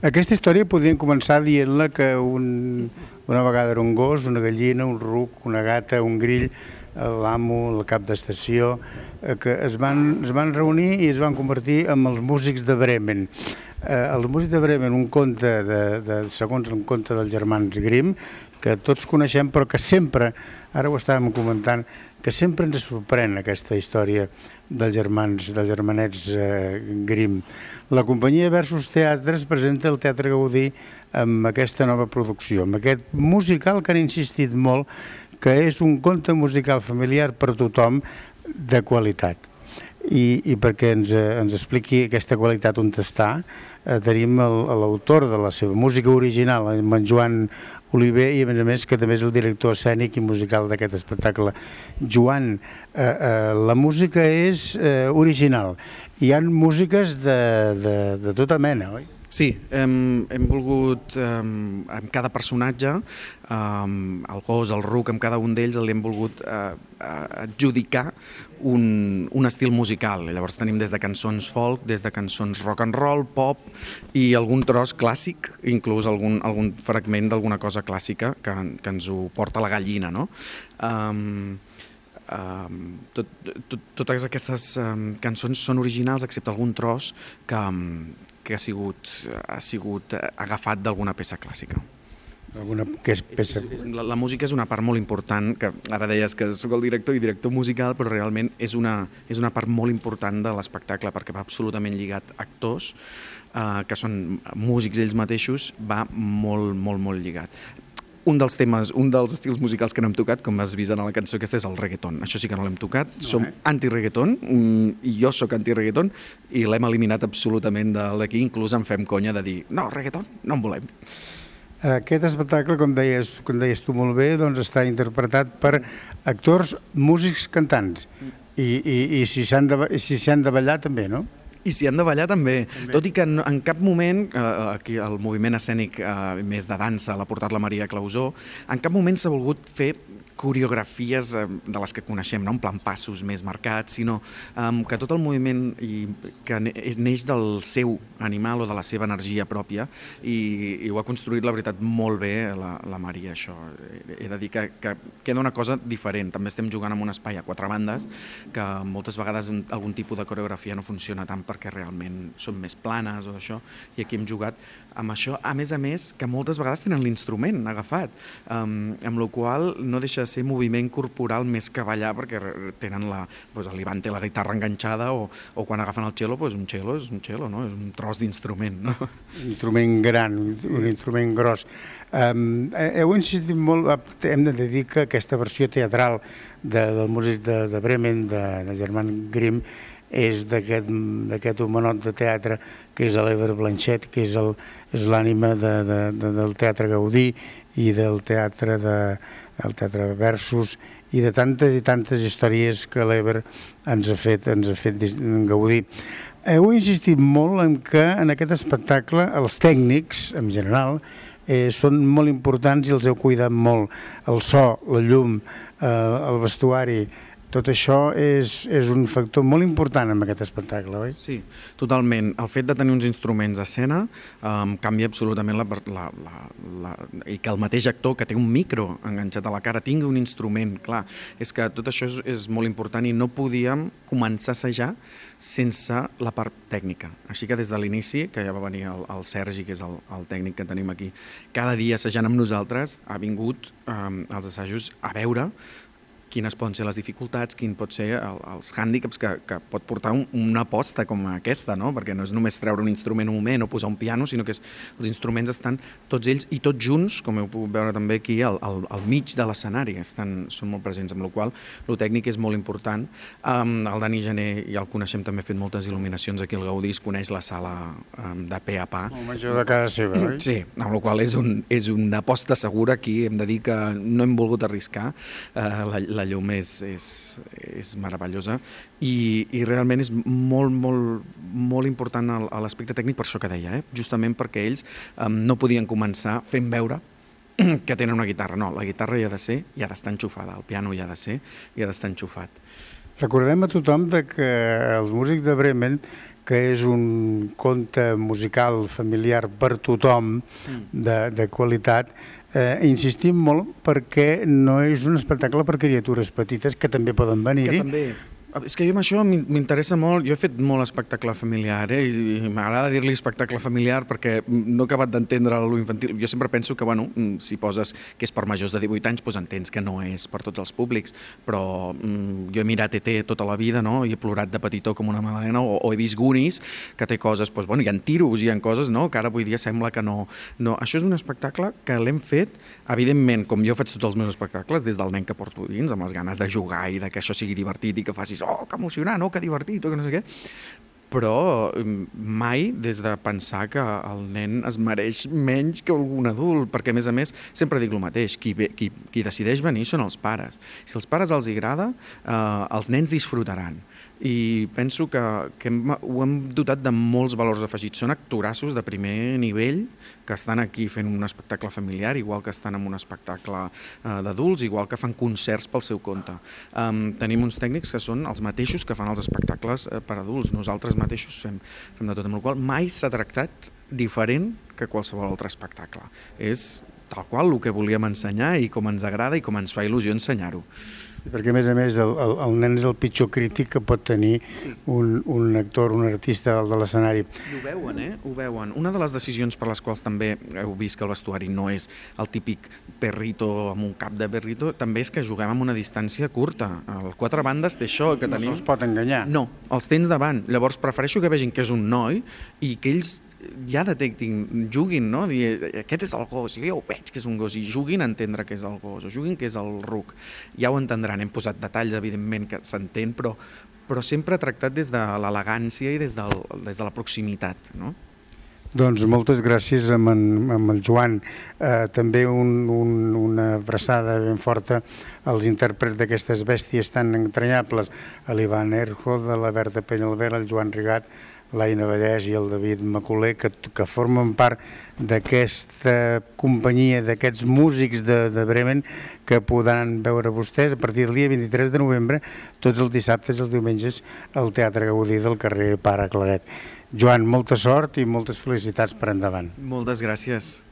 Aquesta història podríem començar dient-la que una vegada era un gos, una gallina, un ruc, una gata, un grill, l'amo, el cap d'estació, que es van reunir i es van convertir en els músics de Bremen. Els músics de Bremen, un conte, segons un conte dels germans Grimm, que tots coneixem, però que sempre, ara ho estàvem comentant, que sempre ens sorprèn aquesta història dels germanets Grimm. La companyia Versus Teatres presenta el Teatre Gaudí amb aquesta nova producció, amb aquest musical que han insistit molt, que és un conte musical familiar per a tothom de qualitat. I perquè ens expliqui aquesta qualitat on està, tenim l'autor de la seva música original, en Joan Oliver, i a més que també és el director escènic i musical d'aquest espectacle. Joan, la música és original, hi ha músiques de tota mena, oi? Sí, hem volgut, amb cada personatge, el gos, el ruc, amb cada un d'ells li hem volgut adjudicar un estil musical. Llavors tenim des de cançons folk, des de cançons rock and roll, pop i algun tros clàssic, inclús algun fragment d'alguna cosa clàssica que ens ho porta la gallina, no? Totes aquestes cançons són originals excepte algun tros que ha sigut agafat d'alguna peça clàssica. La música és una part molt important, que ara deies que soc el director i director musical, però realment és una part molt important de l'espectacle, perquè va absolutament lligat a actors, que són músics ells mateixos, va molt, molt, molt lligat. Un dels estils musicals que no hem tocat, com has vist en la cançó aquesta, és el reggaeton. Això sí que no l'hem tocat. Som anti-reggaeton, i jo sóc anti-reggaeton, i l'hem eliminat absolutament d'aquí. Inclús en fem conya de dir, no, reggaeton no en volem. Aquest espectacle, com deies tu molt bé, doncs està interpretat per actors, músics, cantants. I si s'han de ballar també, no? I si han de ballar també, tot i que en cap moment, aquí el moviment escènic més de dansa l'ha portat la Maria Clausó, en cap moment s'ha volgut fer coreografies de les que coneixem, no en plan passos més marcats, sinó que tot el moviment que neix del seu animal o de la seva energia pròpia, i ho ha construït, la veritat, molt bé la Maria, això. He de dir que queda una cosa diferent. També estem jugant en un espai a 4 bandes, que moltes vegades algun tipus de coreografia no funciona tant perquè realment són més planes o això, i aquí hem jugat amb això, a més, que moltes vegades tenen l'instrument agafat, amb la qual no deixa de ser moviment corporal més que ballar, perquè tenen l'Ivan té la guitarra enganxada, o quan agafen el cello, un cello és un cello, no? És un tros d'instrument, no? Un instrument gran, un instrument gros. Heu insistit molt, hem de dir que aquesta versió teatral del músic de Bremen, de Germán Grimm, és d'aquest homenot de teatre que és l'Ever Blanchet, que és l'ànima del Teatre Gaudí i del Teatre Versus i de tantes i tantes històries que l'Ever ens ha fet gaudir. Heu insistit molt en que en aquest espectacle els tècnics, en general, són molt importants i els heu cuidat molt. El so, la llum, el vestuari, tot això és un factor molt important en aquest espectacle, oi? Sí, totalment. El fet de tenir uns instruments a escena canvia absolutament i que el mateix actor que té un micro enganxat a la cara tingui un instrument, clar. És que tot això és molt important i no podíem començar a assajar sense la part tècnica. Així que des de l'inici, que ja va venir el Sergi, que és el tècnic que tenim aquí, cada dia assajant amb nosaltres, ha vingut als assajos a veure quines poden ser les dificultats, quins pot ser els hàndicaps que pot portar una aposta com aquesta, no? Perquè no és només treure un instrument un moment o posar un piano, sinó que els instruments estan tots ells i tots junts, com heu pogut veure també aquí, al mig de l'escenari, són molt presents, amb la qual cosa el tècnic és molt important. El Dani Gené ja el coneixem, també ha fet moltes il·luminacions aquí al Gaudí, es coneix la sala de pe a pa. El major de casa seva, oi? Sí, amb la qual cosa és una aposta segura. Aquí hem de dir que no hem volgut arriscar, la llum és meravellosa i realment és molt, molt, molt important l'aspecte tècnic, per això que deia, justament perquè ells no podien començar fent veure que tenen una guitarra. No, la guitarra hi ha de ser, hi ha d'estar enxufada, el piano hi ha de ser, hi ha d'estar enxufat. Recordem a tothom que els músics de Bremen, que és un conte musical familiar per tothom de qualitat. Insistim molt perquè no és un espectacle per criatures petites que també poden venir-hi. Que també. És que jo amb això m'interessa molt, jo he fet molt espectacle familiar, i m'agrada dir-li espectacle familiar perquè no he acabat d'entendre l'infantil. Jo sempre penso que, bueno, si poses que és per majors de 18 anys, doncs entens que no és per tots els públics, però jo he mirat ET tota la vida, no?, i he plorat de petitó com una magdalena, o he vist Goonies, que té coses, doncs, bueno, hi ha tiros, hi ha coses, no?, que ara avui dia sembla que no. No, això és un espectacle que l'hem fet, evidentment, com jo faig tots els meus espectacles, des del nen que porto dins, amb les ganes de jugar i de que això sigui divertit i que facis oh, que emocionant, oh, que divertit, que no sé què, però mai des de pensar que el nen es mereix menys que algun adult, perquè a més sempre dic el mateix, qui decideix venir són els pares. Si als pares els agrada, els nens disfrutaran. I penso que ho hem dotat de molts valors afegits. Són actorassos de primer nivell que estan aquí fent un espectacle familiar, igual que estan en un espectacle d'adults, igual que fan concerts pel seu compte. Tenim uns tècnics que són els mateixos que fan els espectacles per adults. Nosaltres mateixos fem de tot, amb la qual cosa mai s'ha tractat diferent que qualsevol altre espectacle. És tal qual el que volíem ensenyar i com ens agrada i com ens fa il·lusió ensenyar-ho. Perquè, a més, el nen és el pitjor crític que pot tenir un actor, un artista dalt de l'escenari. I ho veuen, Ho veuen. Una de les decisions per les quals també heu vist que el vestuari no és el típic perrito amb un cap de perrito, també és que juguem amb una distància curta. El Quatre Bandes té això que tenim... No se'ls pot enganyar. No, els tens davant. Llavors prefereixo que vegin que és un noi i que ells ja detectin, juguin, no? Dir, aquest és el gos, jo ja ho veig que és un gos, i juguin a entendre que és el gos, o juguin que és el ruc. Ja ho entendran, hem posat detalls, evidentment, que s'entén, però sempre tractat des de l'elegància i des de la proximitat, no? Doncs moltes gràcies amb el Joan. També una abraçada ben forta als intèrprets d'aquestes bèsties tan entranyables, a l'Ivan Erjo, de la Berta Penyalver, el Joan Rigat, l'Aina Vallès i el David Macoler, que formen part d'aquesta companyia, d'aquests músics de Bremen, que podran veure vostès a partir del dia 23 de novembre, tots els dissabtes i els diumenges, al Teatre Gaudí del carrer Pare Claret. Joan, molta sort i moltes felicitats per endavant. Moltes gràcies.